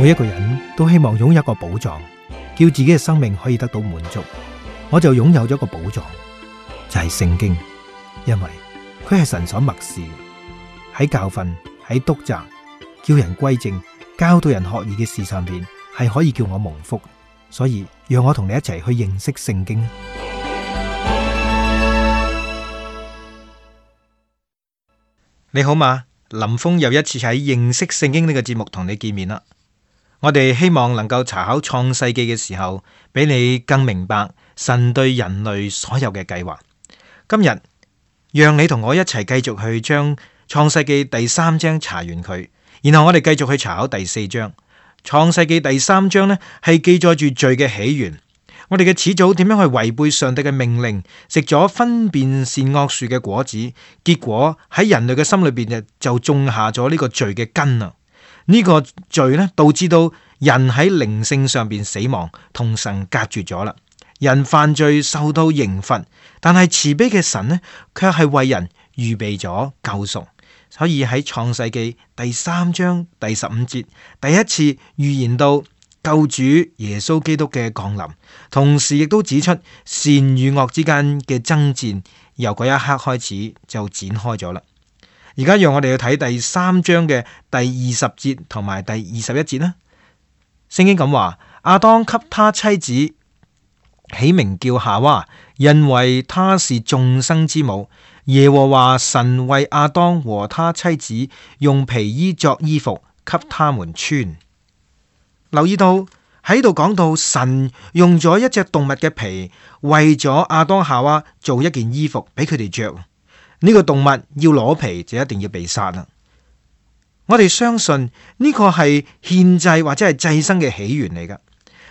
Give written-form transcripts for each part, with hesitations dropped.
每一個人都希望擁有一個寶藏，叫自己嘅生命可以得到滿足。我就擁有咗一個寶藏，就係聖經，因為佢係神所默示，喺教訓、喺督責、叫人歸正、教導人學義嘅事上邊，係可以叫我蒙福。所以讓我同你一齊去認識聖經。你好嘛？林峰又一次喺認識聖經呢個節目同你見面啦。我哋希望能夠查考創世記嘅時候，俾你更明白神對人類所有嘅計劃。今日讓你同我一齊繼續去將創世記第3章查完佢，然後我哋繼續去查考第4章。創世記第3章呢，係記載住罪嘅起源，我哋嘅始祖點樣去違背上帝嘅命令，食咗分辨善惡樹嘅果子，結果喺人類嘅心裏邊就種下咗呢個罪嘅根啊！呢個罪呢，導致到人喺靈性上邊死亡，同神隔絕咗啦。人犯罪受到刑罰，但係慈悲嘅神呢，卻係為人預備咗救贖。所以喺創世記第3章第15節，第一次預言到救主耶穌基督嘅降臨，同時亦都指出善與惡之間嘅爭戰，由嗰一刻開始就展開咗啦。而家讓我哋去睇第3章嘅第20節同埋第21節啦。聖經咁話：亞當給他妻子起名叫夏娃，因為她是眾生之母。耶和華神為亞當和他妻子用皮衣作衣服給他們穿。留意到喺度講到神用咗一隻動物嘅皮為咗亞當夏娃做一件衣服俾佢哋着。呢個動物要攞皮就一定要被殺啦。我哋相信呢個係獻祭或者係祭牲嘅起源嚟噶。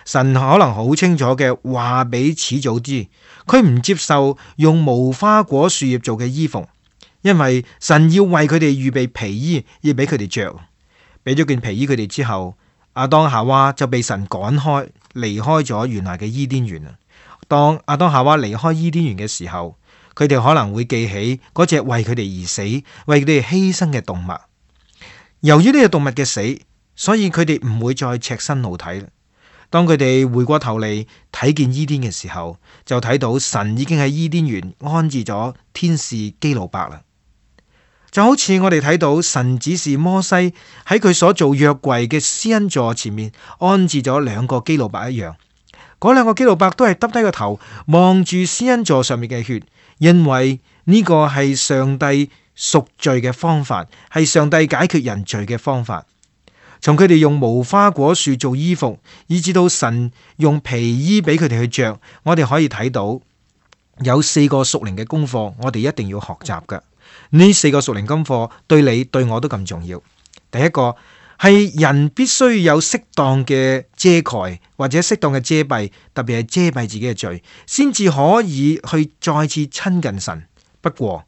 神可能好清楚嘅話俾始祖知，佢唔接受用無花果樹葉做嘅衣服，因為神要為佢哋預備皮衣，要俾佢哋着。俾咗件皮衣佢哋之後，亞當夏娃就被神趕開，離開咗原來嘅伊甸園。當亞當夏娃離開伊甸園嘅時候，佢哋可能會記起嗰隻為佢哋而死、為佢哋犧牲嘅動物。由於呢隻動物嘅死，所以佢哋唔會再赤身露體。當佢哋回過頭嚟睇見伊甸嘅時候，就睇到神已經喺伊甸園安置咗天使基路伯啦。就好似我哋睇到神指示摩西喺佢所做約櫃嘅施恩座前面安置咗2個基路伯一樣。嗰2個基路伯都係耷低個頭望住施恩座上面嘅血，因為呢個係上帝贖罪嘅方法，係上帝解決人罪嘅方法。從佢哋用無花果樹做衣服，以至到神用皮衣俾佢哋去着，我哋可以睇到有4個屬靈嘅功課，我哋一定要學習㗎。呢4個屬靈功課對你對我都咁重要。第一個係人必須有適當嘅遮蓋或者適當嘅遮蔽，特別係遮蔽自己嘅罪，先至可以去再次親近神。不過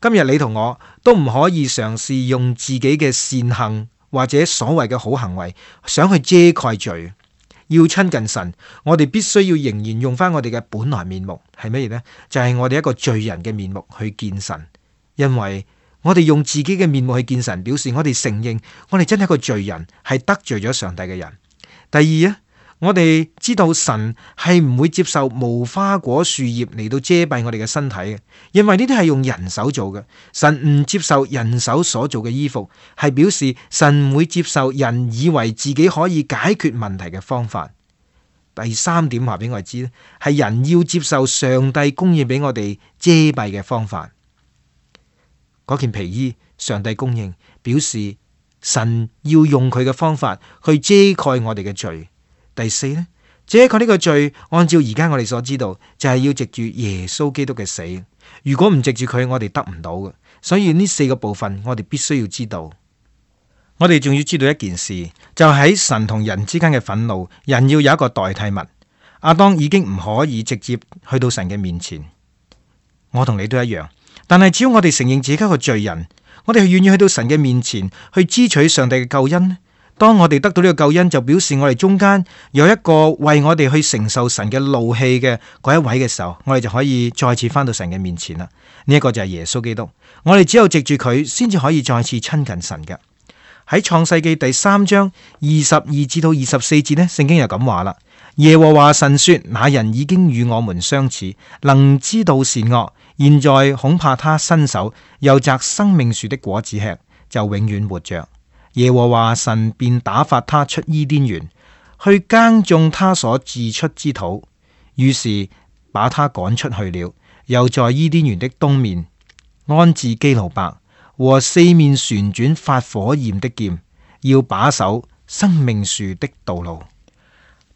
今日你同我都唔可以嘗試用自己嘅善行或者所謂嘅好行為，想去遮蓋罪。要親近神，我哋必須要仍然用翻我哋嘅本來面目，係乜嘢呢？就係我哋一個罪人嘅面目去見神。因為我哋用自己嘅面目去見神，表示我哋承認我哋真係一個罪人，係得罪咗上帝嘅人。第二啊，我哋知道神係唔會接受無花果樹葉嚟到遮蔽我哋嘅身體嘅，因為呢啲係用人手做嘅。神唔接受人手所做嘅衣服，係表示神唔會接受人以為自己可以解決問題嘅方法。第3點話俾我哋知咧，係人要接受上帝供應俾我哋遮蔽嘅方法。嗰件皮衣上帝供應，表示神要用佢嘅方法去遮蓋我哋嘅罪。第4呢，遮蓋呢個罪，按照而家我哋所知道，就係要藉住耶穌基督嘅死。如果唔藉住佢，我哋得唔到嘅。所以呢4個部分，我哋必須要知道。我哋仲要知道一件事，就喺神同人之間嘅憤怒，人要有一個代替物。亞當已經唔可以直接去到神嘅面前，我同你都一樣。但係只要我哋承認自己係個罪人，我哋係願意去到神嘅面前去支取上帝嘅救恩。當我哋得到呢個救恩，就表示我哋中間有一個為我哋去承受神嘅怒氣嘅嗰一位嘅時候，我哋就可以再次翻到神嘅面前啦。呢一個就係耶穌基督，我哋只有藉住佢先至可以再次親近神嘅。喺創世記第3章22至到24節呢，聖經又咁話啦：耶和華神說，那人已經與我們相似，能知道善惡，現在恐怕他伸手又摘生命樹的果子吃，就永遠活着。耶和華神便打發他出伊甸園，去耕種他所自出之土，於是把他趕出去了，又在伊甸園的東面安置基路伯和四面旋轉發火焰的劍，要把守生命樹的道路。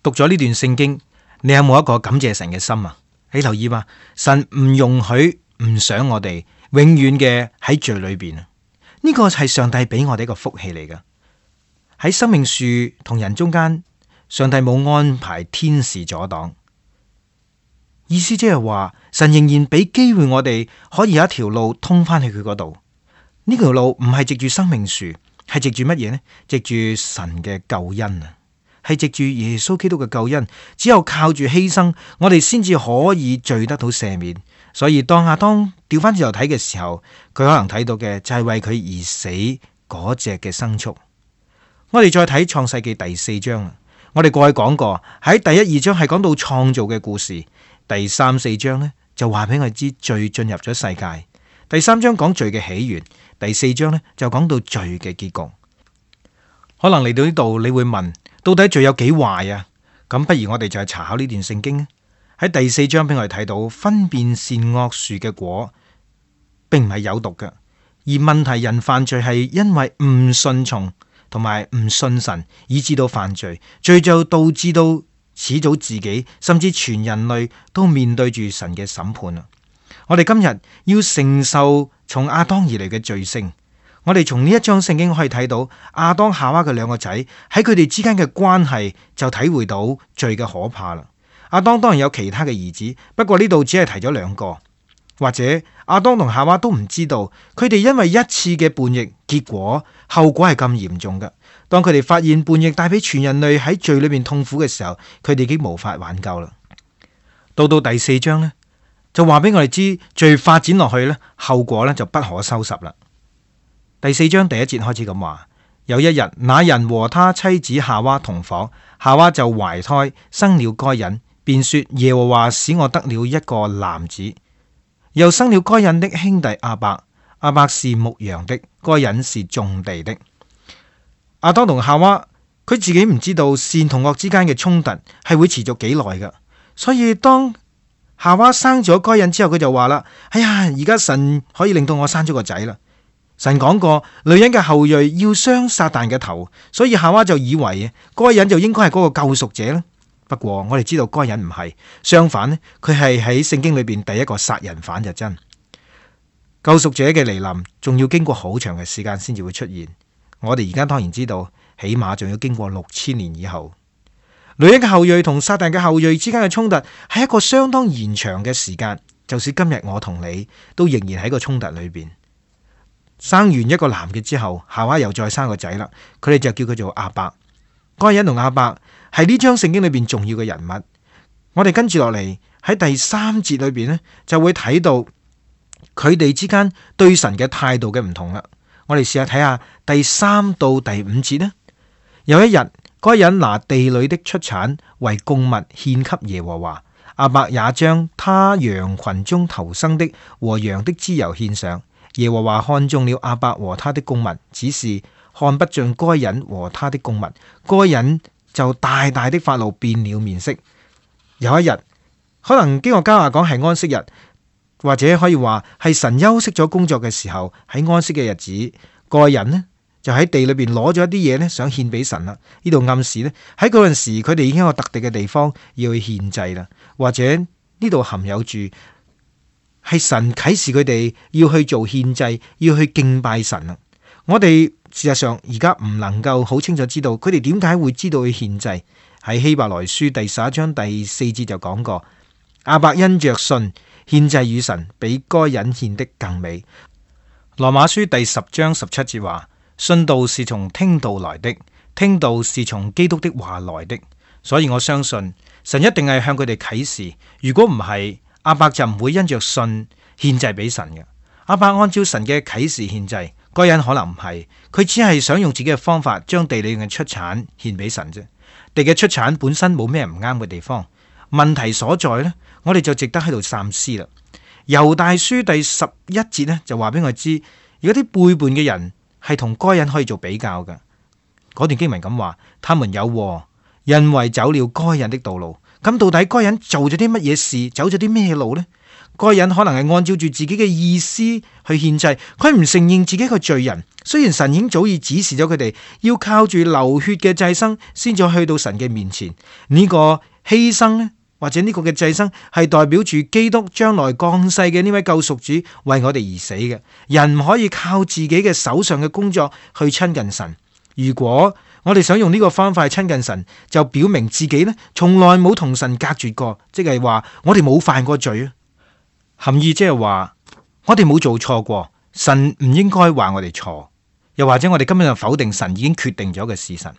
讀咗呢段聖經，你有冇一個感謝神嘅心啊？你留意嘛，神唔容許、唔想我哋永遠嘅喺罪裏邊啊！呢個係上帝俾我哋一個福氣嚟噶。喺生命樹同人中間，上帝冇安排天使阻擋，意思即係話神仍然俾機會我哋可以有一條路通翻去佢嗰度。呢條路唔係藉住生命樹，係藉住乜嘢呢？藉住神嘅救恩啊，係藉住耶穌基督嘅救恩。只有靠住犧牲，我哋先至可以罪得到赦免。所以當亞當調翻轉頭睇嘅時候，佢可能睇到嘅就係為佢而死嗰隻嘅牲畜。我哋再睇創世記第4章，我哋過去講過喺第1、2章係講到創造嘅故事，第3、4章呢就話俾我哋知罪進入咗世界。第3章講罪嘅起源，第4章呢就講到罪嘅結局。可能嚟到呢度你會問，到底罪有幾壞啊？咁不如我哋就係查考呢段聖經。喺第4章俾我哋睇到分辨善惡樹嘅果並唔係有毒嘅，而問題人犯罪係因為唔順從同埋唔信神，以致到犯罪，罪就導致到始祖自己甚至全人類都面對住神嘅審判啊！我哋今日要承受從亞當而嚟嘅罪性。我哋從呢一章聖經可以睇到亞當夏娃嘅兩個仔喺佢哋之間嘅關係，就體會到罪嘅可怕啦。亞當當然有其他嘅兒子，不過呢度只係提咗2個，或者亞當同夏娃都唔知道，佢哋因為一次嘅叛逆，結果後果係咁嚴重㗎。當佢哋發現叛逆帶俾全人類喺罪裏面痛苦嘅時候，佢哋已經無法挽救啦。到第4章呢，就話俾我哋知罪發展落去呢，後果呢就不可收拾啦。第4章第1節開始咁話：有一日，那人和他妻子夏娃同房，夏娃就懷胎生了該隱，便說耶和華使我得了一個男子。又生了該隱的兄弟亞伯，亞伯是牧羊的，該隱是種地的。亞當同夏娃佢自己唔知道善同惡之間嘅衝突係會持續幾耐噶，所以當夏娃生咗該隱之後，佢就話啦：哎呀，而家神可以令到我生咗個仔啦。神講過，女人嘅後裔要傷撒旦嘅頭，所以夏娃就以為該隱就應該係嗰個救贖者啦。不過我哋知道該隱唔係，相反呢，佢係喺聖經裏邊第一個殺人犯就真。救贖者嘅嚟臨，仲要經過好長嘅時間先至會出現。我哋而家當然知道，起碼仲要經過6000年以後。女人嘅後裔同撒旦嘅後裔之間嘅衝突係一個相當延長嘅時間，就算今日我同你都仍然喺個衝突裏邊。生完一個男嘅之後，夏娃又再生個仔啦，佢哋就叫佢做亞伯。該隱同亞伯係呢章聖經裏邊重要嘅人物。我哋跟住落嚟喺第3節裏邊呢，就會睇到佢哋之間對神嘅態度嘅唔同啦。我哋試下睇下第3到第5節呢。有一日，該隱拿地裏的出產為供物獻給耶和華，亞伯也將他羊群中頭生的和羊的脂油獻上。耶和華看中了亞伯和他的供物，只是看不盡該隱和他的供物。該隱就大大的發怒，變了面色。有一日，可能經過經學家話講係安息日，或者可以話係神休息咗工作嘅時候，喺安息嘅日子，該隱呢就喺地裏邊攞咗一啲嘢呢，想獻俾神啦。呢度暗示呢，喺嗰陣時佢哋已經有個特定嘅地方要去獻祭啦，或者呢度含有住係神啟示佢哋要去做獻祭，要去敬拜神啦。我哋事實上而家唔能夠好清楚知道佢哋點解會知道去獻祭。喺希伯來書第11章第4節就講過，亞伯因着信獻祭與神，比該隱獻的更美。羅馬書第10章17節話，信道是從聽道來的，聽道是從基督的話來的。所以我相信神一定係向佢哋啟示，如果唔係，亞伯就唔會因着信獻祭俾神嘅。亞伯按照神嘅啟示獻祭，該隱可能唔係，佢只係想用自己嘅方法將地裏嘅出產獻俾神啫。地嘅出產本身冇咩唔啱嘅地方，問題所在呢，我哋就值得喺度三思啦。猶大書第11節呢，就話俾我知，如果啲背叛嘅人係同該隱可以做比較嘅。嗰段經文咁話，他們有禍，因為走了該隱的道路。咁到底該隱做咗啲乜嘢事，走咗啲咩路呢？該隱可能係按照住自己嘅意思去獻祭，佢唔承認自己係個罪人。雖然神已經早已指示咗佢哋要靠住流血嘅祭牲先至去到神嘅面前，呢個犧牲呢，或者呢個嘅祭牲係代表住基督將來降世嘅呢位救贖主為我哋而死嘅。人唔可以靠自己嘅手上嘅工作去親近神。如果我哋想用呢個方法去親近神，就表明自己呢從來冇同神隔絕過，即係話我哋冇犯過罪啊。含義即係話我哋冇做錯過，神唔應該話我哋錯，又或者我哋今日就否定神已經決定咗嘅事實。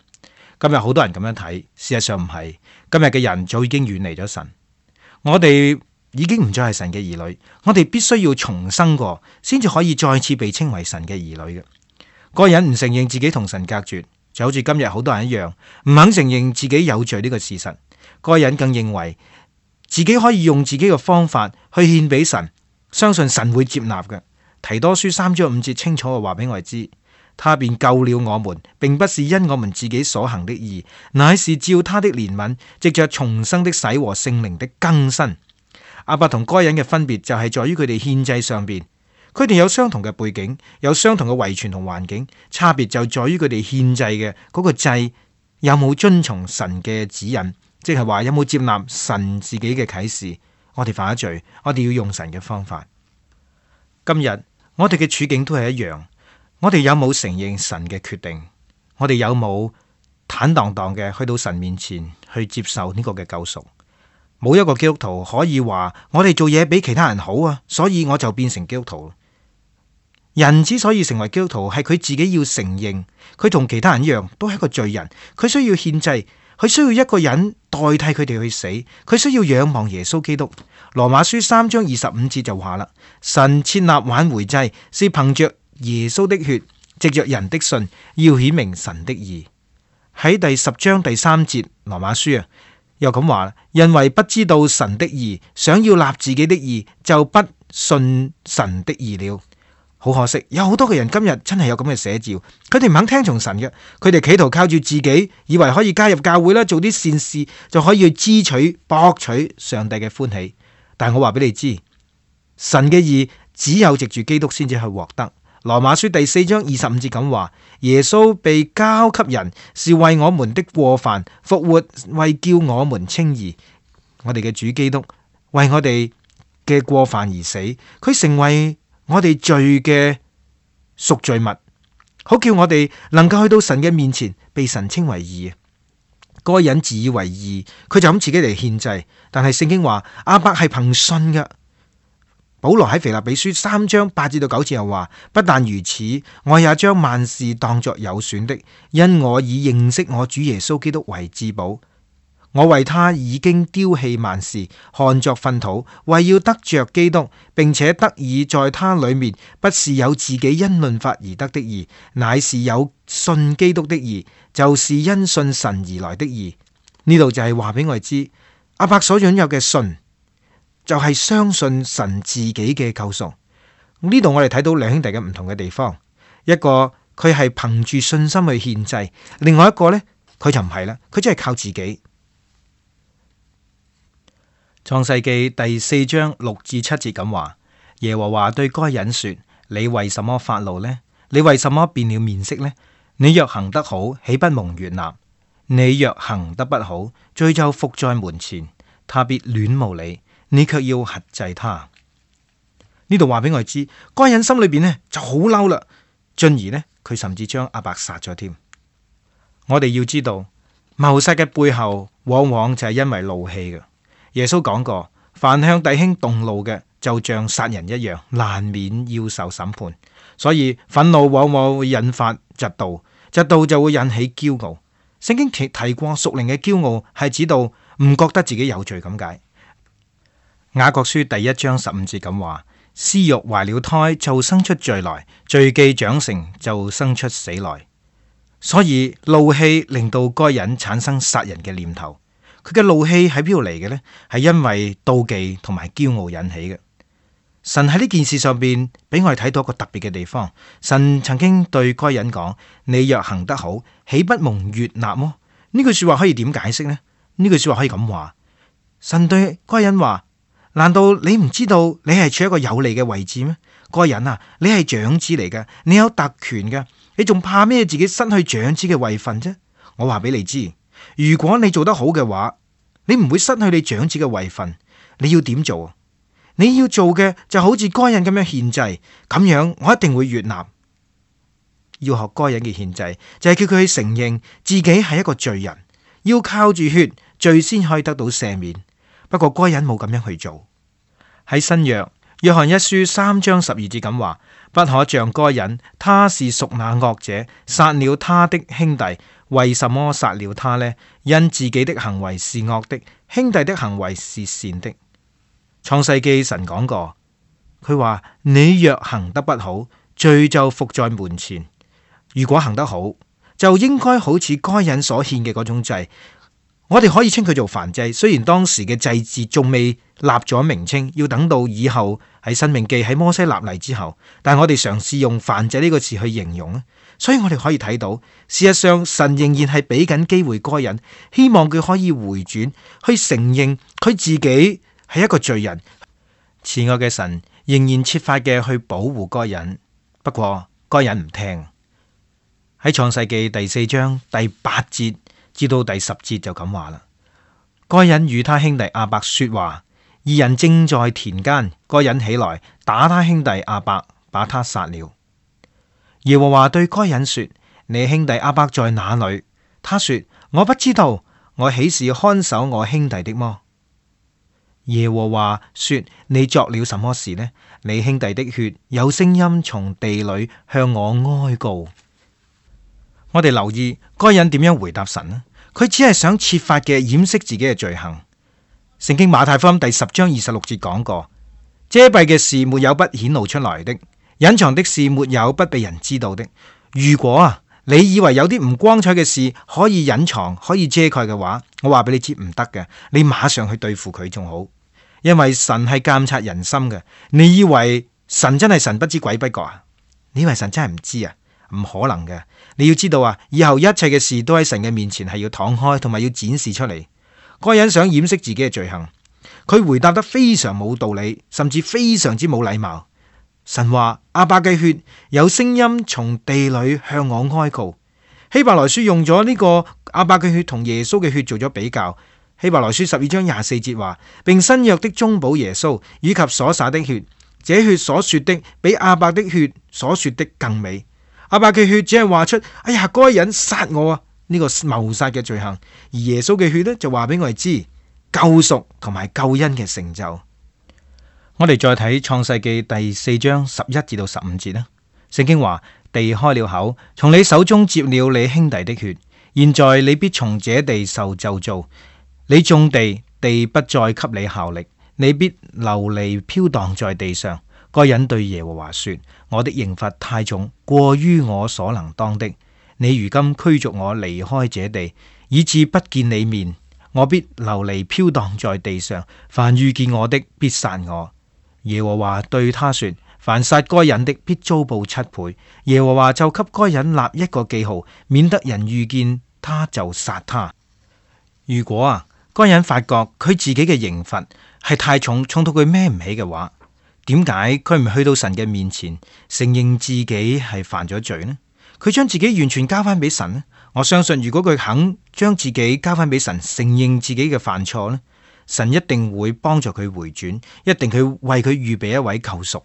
今日好多人咁樣睇，事實上唔係。今日嘅人早已經遠離咗神，我哋已經唔再係神嘅兒女，我哋必須要重生過，先至可以再次被稱為神嘅兒女嘅。個人唔承認自己同神隔絕，就好似今日好多人一樣，唔肯承認自己有罪呢個事實。個人更認為自己可以用自己嘅方法去獻俾神，相信神會接納嘅。提多書3章5節清楚嘅話俾我哋知，他便救了我們，並不是因我們自己所行的義，乃是照他的憐憫，藉着重生的洗和聖靈的更新。亞伯同該隱嘅分別就係在於佢哋獻祭上邊，佢哋有相同嘅背景，有相同嘅遺傳同環境，差別就在於佢哋獻祭嘅嗰個祭有冇遵從神嘅指引，即係話有冇接納神自己嘅啟示。我哋犯咗罪，我哋要用神嘅方法。今日我哋嘅處境都係一樣，我哋有冇承認神嘅決定？我哋有冇坦蕩蕩嘅去到神面前去接受呢個嘅救贖？冇一個基督徒可以話我哋做嘢比其他人好啊，所以我就變成基督徒。人之所以成為基督徒，係佢自己要承認佢同其他人一樣都係一個罪人，佢需要獻祭，佢需要一個人代替佢哋去死，佢需要仰望耶穌基督。羅馬書3章25節就話啦，神設立挽回祭，是憑着耶穌的血，藉着人的信，要顯明神的義。喺第10章第3節羅馬書啊，又咁話，因為不知道神的義，想要立自己的義，就不信神的義了。好可惜，有好多嘅人今日真係有咁嘅寫照，佢哋唔肯聽從神嘅，佢哋企圖靠住自己，以為可以加入教會啦，做啲善事就可以去支取博取上帝嘅歡喜。但係我話俾你知，神嘅義只有藉住基督先至去獲得。羅馬書第4章25節咁話，耶穌被交給人，是為我們的過犯復活，為叫我們稱義。我哋嘅主基督為我哋嘅過犯而死，佢成為我哋罪嘅贖罪物，好叫我哋能夠去到神嘅面前，被神稱為義。該隱自以為義，佢就咁自己嚟獻祭，但係聖經話亞伯係憑信嘅。保羅喺腓立比書3章8至到9節又話，不但如此，我也將萬事當作有損的，因我以認識我主耶穌基督為至寶。我為他已經丟棄萬事，看作糞土，為要得着基督，並且得以在他裏面，不是有自己因律法而得的義，乃是有信基督的義，就是因信神而來的義。呢度就係話俾我哋知，亞伯所擁有嘅信就係相信神自己嘅救贖。呢度我哋睇到兩兄弟嘅唔同嘅地方，一個佢係憑住信心去獻祭，另外一個呢，佢就唔係啦，佢真係靠自己。創世記第4章6至7節咁話，耶和華對該隱說，你為什麼發怒呢？你為什麼變了面色呢？你若行得好，豈不蒙悅納？你若行得不好，罪就伏在門前，他必戀慕你，你卻要轄制他。呢度話俾我哋知，該隱心裏邊呢就好嬲啦，進而呢佢甚至將亞伯殺咗添。我哋要知道，謀殺嘅背後往往就係因為怒氣嘅。耶穌講過，凡向弟兄動怒嘅，就像殺人一樣，難免要受審判。所以憤怒往往會引發嫉妒，嫉妒就會引起驕傲。聖經提過屬靈嘅驕傲係指到唔覺得自己有罪咁解。雅各書第1章15節咁話，私欲懷了胎，就生出罪來；罪既長成，就生出死來。所以怒氣令到該人產生殺人嘅念頭。佢嘅怒氣喺邊度嚟嘅呢？係因為妒忌同埋驕傲引起嘅。神喺呢件事上邊俾我哋睇到一個特別嘅地方。神曾經對該人講：你若行得好，豈不蒙悅納麼？呢句說話可以點解釋呢？呢句說話可以咁話：神對該人話，難道你唔知道你係處一個有利嘅位置咩？該人啊，你係長子嚟嘅，你有特權嘅，你仲怕咩自己失去長子嘅位份啫？我話俾你知，如果你做得好嘅話，你唔會失去你長子嘅位份。你要點做？你要做嘅就好似該人咁樣獻祭，咁樣我一定會悅納。要學該人嘅獻祭，就係叫佢去承認自己係一個罪人，要靠住血，罪先可以得到赦免。不過該人冇咁樣去做。喺新約約翰一書3章12節咁話：不可像該人，他是屬那惡者，殺了他的兄弟。為什麼殺了他呢？因自己的行為是惡的，兄弟的行為是善的。創世記神講過，佢話你若行得不好，罪就伏在門前；如果行得好，就應該好似該人所獻嘅嗰種祭。我哋可以稱佢做燔祭，雖然當時嘅祭祀仲未立咗名稱，要等到以後喺申命記喺摩西立例之後，但係我哋嘗試用燔祭呢個詞去形容。所以我哋可以睇到，事實上神仍然係俾緊機會該人，希望佢可以回轉，去承認佢自己係一個罪人。慈愛嘅神仍然設法嘅去保護該人，不過該人唔聽。喺創世記第4章第8節至到第10節就咁話啦。該人與他兄弟亞伯說話，二人正在田間，該人起來打他兄弟亞伯，把他殺了。耶和華對該人說：你兄弟亞伯在哪裏？他說：我不知道，我豈是看守我兄弟的麼？耶和華說：你作了什麼事呢？你兄弟的血有聲音從地裏向我哀告。我哋留意該人點樣回答神呢？佢只係想設法嘅掩飾自己嘅罪行。聖經馬太福音第10章26節講過：遮蔽嘅事沒有不顯露出來的，隱藏的事沒有不被人知道的。如果你以為有啲唔光彩嘅事可以隱藏、可以遮蓋嘅話，我話俾你知唔得嘅，你馬上去對付佢仲好，因為神係監察人心嘅。你以為神真係神不知鬼不覺啊？你以為神真係唔知啊？唔可能嘅。你要知道以後一切嘅事都喺神嘅面前係要敞開，同埋要展示出嚟。該人想掩飾自己嘅罪行，佢回答得非常冇道理，甚至非常之冇禮貌。神話亞伯嘅血有聲音從地裏向我哀告。希伯來書用咗呢個亞伯嘅血同耶穌嘅血做咗比較。希伯來書12章24節話，並新約的中保耶穌以及所灑的血，這血所說的比亞伯的血所說的更美。亞伯嘅血只係話出，哎呀，該人殺我啊，呢個謀殺嘅罪行，而耶穌嘅血呢，就話俾我哋知救贖同埋救恩嘅成就。我哋再睇創世記第4章11至到15節啦。聖經話：地開了口，從你手中接了你兄弟的血，現在你必從這地受咒詛。你種地，地不再給你效力，你必流離飄蕩在地上。該人對耶和華說：我的刑罰太重，過於我所能當的。你如今驅逐我離開這地，以致不見你面，我必流離飄蕩在地上。凡遇見我的，必殺我。耶和華對他說：凡殺該人的，必遭報7倍。耶和華就給該人立一個記號，免得人遇見他就殺他。如果該人發覺佢自己嘅刑罰係太重，重到佢孭唔起嘅話，點解佢唔去到神嘅面前承認自己係犯咗罪呢？佢將自己完全交翻俾神呢？我相信如果佢肯將自己交翻俾神，承認自己嘅犯錯呢，神一定會幫助佢回轉，一定佢為佢預備一位救贖。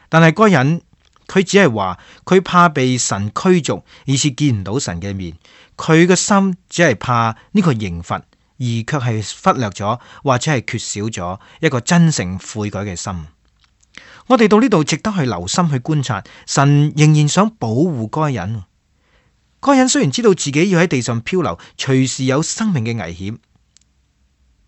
但係該人佢只係話佢怕被神驅逐，以致見唔到神嘅面。佢嘅心只係怕呢個刑罰，而卻係忽略咗或者係缺少咗一個真誠悔改嘅心。我哋到呢度值得去留心去觀察，神仍然想保護該人。該人雖然知道自己要喺地上漂流，隨時有生命嘅危險，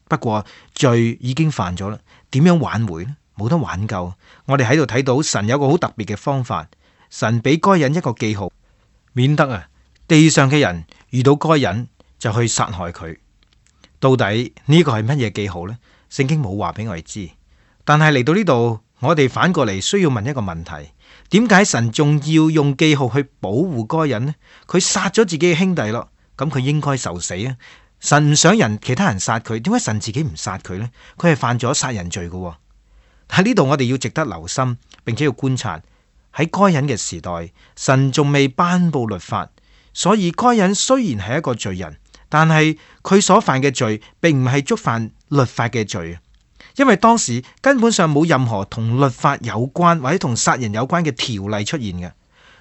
不過罪已經犯咗啦，點樣挽回呢？冇得挽救。我哋喺度睇到神有個好特別嘅方法，神俾該隱一個記號，免得地上嘅人遇到該隱就去殺害佢。到底呢個係乜嘢記號呢？聖經冇話俾我哋知。但係嚟到呢度，我哋反過嚟需要問一個問題：點解神仲要用記號去保護該隱呢？佢殺咗自己嘅兄弟咯，咁佢應該受死啊！神唔想其他人殺佢，點解神自己唔殺佢呢？佢係犯咗殺人罪嘅。喺呢度我哋要值得留心，並且要觀察。喺該隱嘅時代，神仲未頒布律法，所以該隱雖然係一個罪人，但係佢所犯嘅罪並唔係觸犯律法嘅罪，因為當時根本上冇任何同律法有關或者同殺人有關嘅條例出現嘅。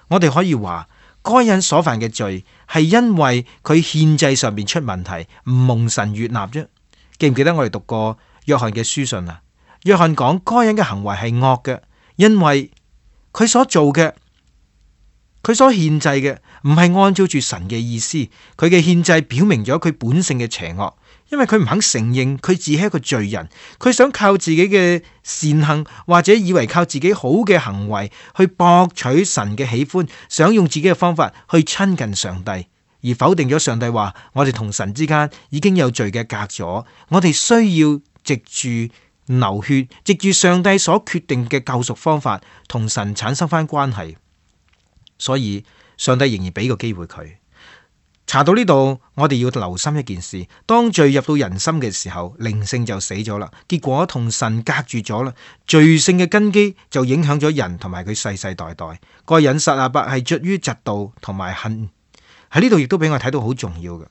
我哋可以話，該隱所犯嘅罪係因為佢獻祭上面出問題，唔蒙神悅納啫。記唔記得我哋讀過約翰嘅書信啊？約翰講該隱嘅行為係惡嘅，因為佢所做嘅，佢所獻祭嘅唔係按照住神嘅意思，佢嘅獻祭表明咗佢本性嘅邪惡，因為佢唔肯承認佢自己係一個罪人，佢想靠自己嘅善行或者以為靠自己好嘅行為去博取神嘅喜歡，想用自己嘅方法去親近上帝，而否定咗上帝話我哋同神之間已經有罪嘅隔咗，我哋需要藉住流血，藉住上帝所決定嘅救贖方法，同神產生翻關係。所以上帝仍然俾個機會佢。查到呢度，我哋要留心一件事：當罪入到人心嘅時候，靈性就死咗啦，結果同神隔住咗啦。罪性嘅根基就影響咗人同埋佢世世代代。該隱殺亞伯係出於嫉妒同埋恨。喺呢度亦都俾我睇到好重要嘅。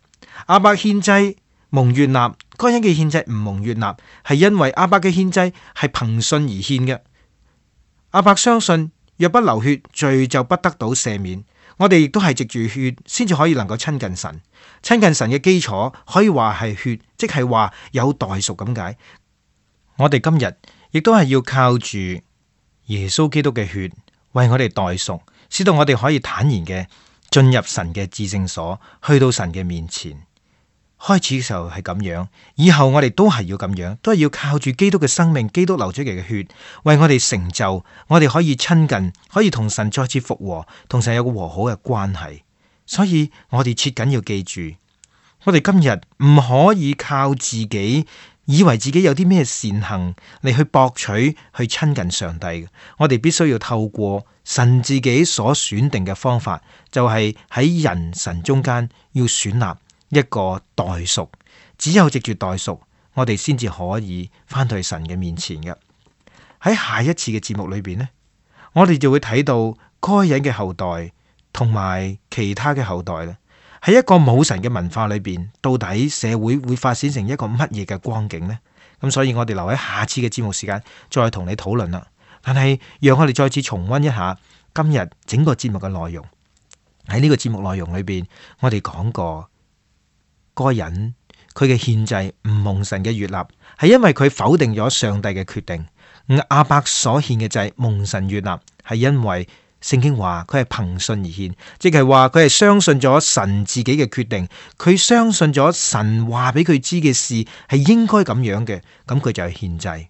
亞伯獻祭蒙悅納，該隱嘅獻祭唔蒙悅納，係因為亞伯嘅獻祭係憑信而獻嘅。亞伯相信若不流血，罪就不得到赦免。我哋亦都係藉住血先至可以能夠親近神。親近神嘅基礎可以話係血，即係話有代贖咁解。我哋今日亦都係要靠住耶穌基督嘅血為我哋代贖，使到我哋可以坦然嘅進入神嘅至聖所，去到神嘅面前。開始嘅時候係咁樣，以後我哋都係要咁樣，都係要靠住基督嘅生命，基督流出嚟嘅血，為我哋成就，我哋可以親近，可以同神再次復和，同神有個和好嘅關係。所以我哋切緊要記住，我哋今日唔可以靠自己，以為自己有啲咩善行嚟去博取，去親近上帝嘅。我哋必須要透過神自己所選定嘅方法，就係喺人神中間要選立一個代贖，只有藉住代贖，我哋先至可以翻到去神嘅面前嘅。喺下一次嘅節目裏邊呢，我哋就會睇到該隱嘅後代同埋其他嘅後代咧，喺一個冇神嘅文化裏邊，到底社會會發展成一個乜嘢嘅光景呢？咁所以我哋留喺下次嘅節目時間再同你討論啦。但係讓我哋再次重溫一下今日整個節目嘅內容。喺呢個節目內容裏邊，我哋講過該隱佢嘅獻祭唔蒙神嘅悅納，係因為佢否定咗上帝嘅決定。亞伯所獻嘅祭蒙神悅納，係因為聖經話佢係憑信而獻，即係話佢係相信咗神自己嘅決定，佢相信咗神話俾佢知嘅事係應該咁樣嘅，咁佢就係獻祭，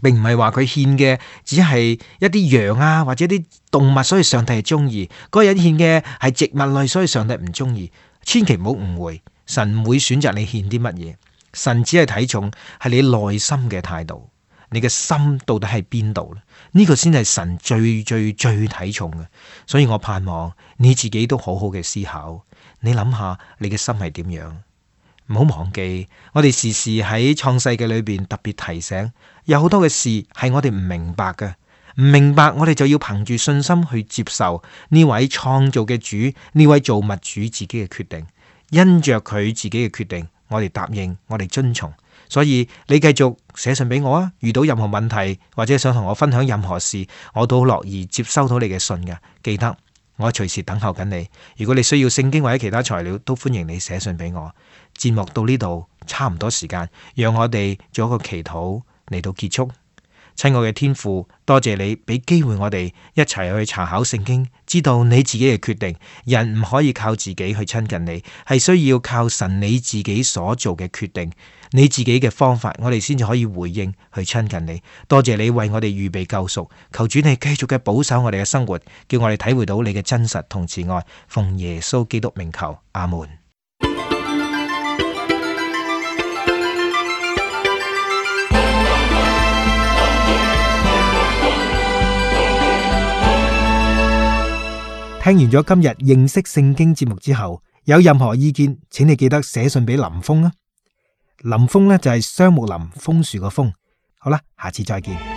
並唔係話佢獻嘅只係一啲羊啊或者啲動物，所以上帝係中意。該隱獻嘅係植物類，所以上帝唔中意。千祈唔好誤會。神唔會選擇你獻啲乜嘢，神只係睇重係你內心嘅態度，你嘅心到底喺邊度咧？呢個先係神最睇重嘅。所以我盼望你自己都好好嘅思考，你諗下你嘅心係點樣？唔好忘記，我哋時時喺創世記裏邊特別提醒，有好多嘅事係我哋唔明白嘅，唔明白我哋就要憑住信心去接受呢位創造嘅主，呢位造物主自己嘅決定。因着佢自己嘅決定，我哋答應，我哋遵從。所以你繼續寫信俾我啊！遇到任何問題或者想同我分享任何事，我都好樂意接收到你嘅信嘅。記得我隨時等候緊你。如果你需要聖經或者其他材料，都歡迎你寫信俾我。節目到呢度差唔多時間，讓我哋做一個祈禱嚟到結束。親愛嘅天父，多謝你俾機會我哋一齊去查考聖經，知道你自己嘅決定。人唔可以靠自己去親近你，係需要靠神你自己所做嘅決定，你自己嘅方法，我哋先至可以回應去親近你。多謝你為我哋預備救贖，求主你繼續嘅保守我哋嘅生活，叫我哋體會到你嘅真實同慈愛。奉耶穌基督名求，阿門。聽完咗今日認識聖經節目之後，有任何意見，請你記得寫信俾林峰啊。林峰呢就係雙木林楓樹個楓。好啦，下次再見。